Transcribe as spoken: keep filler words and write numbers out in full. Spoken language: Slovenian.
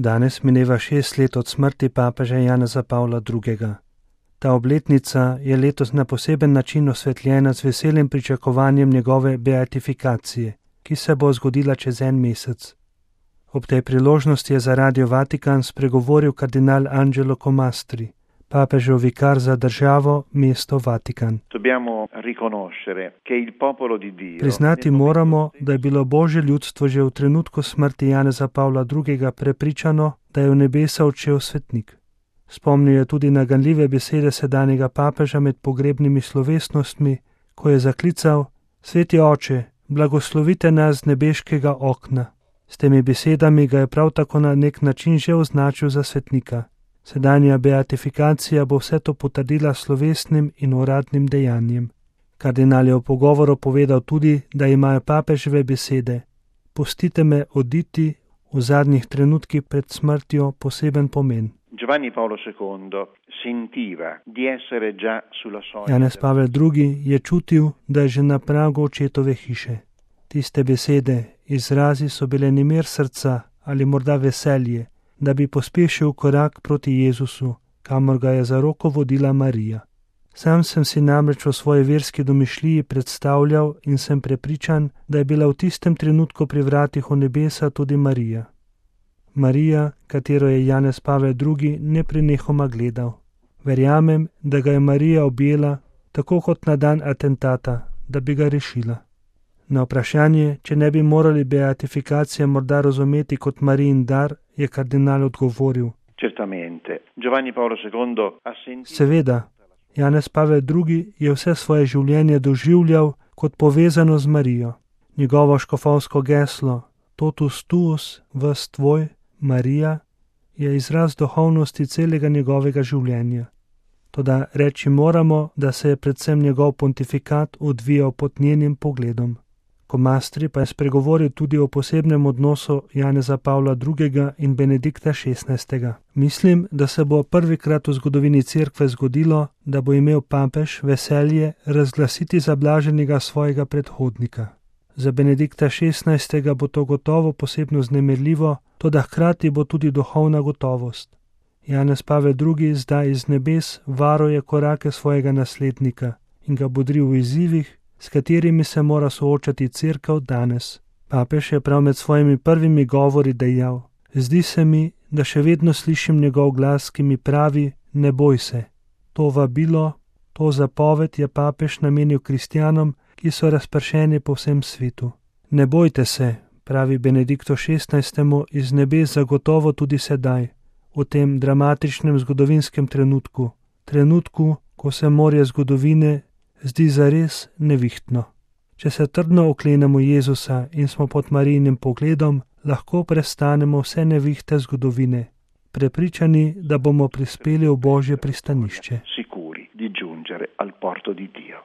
Danes mineva šest let od smrti papeža Janeza Pavla drugega. Ta obletnica je letos na poseben način osvetljena z veselim pričakovanjem njegove beatifikacije, ki se bo zgodila čez en mesec. Ob tej priložnosti je za Radio Vatikan spregovoril kardinal Angelo Comastri, papežev vikar za državo, mesto Vatikan. Priznati moramo, da je bilo Božje ljudstvo že v trenutku smrti Janeza Pavla drugega prepričano, da je v nebesa odšel svetnik. Spomnil je tudi na ganljive besede sedanjega papeža med pogrebnimi slovesnostmi, ko je zaklical: Sveti oče, blagoslovite nas z nebeškega okna. S temi besedami ga je prav tako na nek način že označil za svetnika. Sedanja beatifikacija bo vse to potrdila slovesnim in uradnim dejanjem. Kardinal je v pogovoru povedal tudi, da imajo papeževe besede: Pustite me oditi v zadnjih trenutkih pred smrtjo poseben pomen. Giovanni Paolo secondo sentiva di essere già sulla soglia. Janez Pavel drugi je čutil, da je že na pragu očetove hiše. Tiste besede, izrazi so bile nemir srca ali morda veselje, da bi pospešil korak proti Jezusu, kamor ga je za roko vodila Marija. Sam sem si namreč v svoji verski domišljiji predstavljal in sem prepričan, da je bila v tistem trenutku pri vratih v nebesa tudi Marija. Marija, katero je Janez Pavel drugi neprenehoma gledal. Verjamem, da ga je Marija objela, tako kot na dan atentata, da bi ga rešila. Na vprašanje, če ne bi morali beatifikacije morda razumeti kot Marijin dar, je kardinal odgovoril: Certamente. Giovanni Paolo secondo ha sentito. Seveda, Janez Pavel drugi je vse svoje življenje doživljal kot povezano z Marijo. Njegovo škofovsko geslo Totus tuus, ves tvoj, Marija, je izraz duhovnosti celega njegovega življenja. Toda reči moramo, da se je predvsem njegov pontifikat odvijal pod njenim pogledom. Comastri pa je spregovoril tudi o posebnem odnosu Janeza Pavla drugega in Benedikta šestnajstega. Mislim, da se bo prvikrat v zgodovini cerkve zgodilo, da bo imel papež veselje razglasiti za blaženega svojega predhodnika. Za Benedikta šestnajstega bo to gotovo posebno vznemirljivo, toda hkrati bo tudi duhovna gotovost. Janez Pavel drugi zdaj iz nebes varuje korake svojega naslednika in ga bodri v izzivih, s katerimi se mora soočati cerkev danes. Papež je prav med svojimi prvimi govori dejal: Zdi se mi, da še vedno slišim njegov glas, ki mi pravi: Ne boj se. To vabilo, to zapoved je papež namenil kristjanom, ki so razpršeni po vsem svetu. Ne bojte se, pravi Benediktu šestnajstemu iz nebes zagotovo tudi sedaj, v tem dramatičnem zgodovinskem trenutku, trenutku, ko se morje zgodovine zdi zares nevihtno. Če se trdno oklenemo Jezusa in smo pod Marijinim pogledom, lahko prestanemo vse nevihte zgodovine, prepričani, da bomo prispeli v Božje pristanišče. Sicuri di giungere al porto di Dio.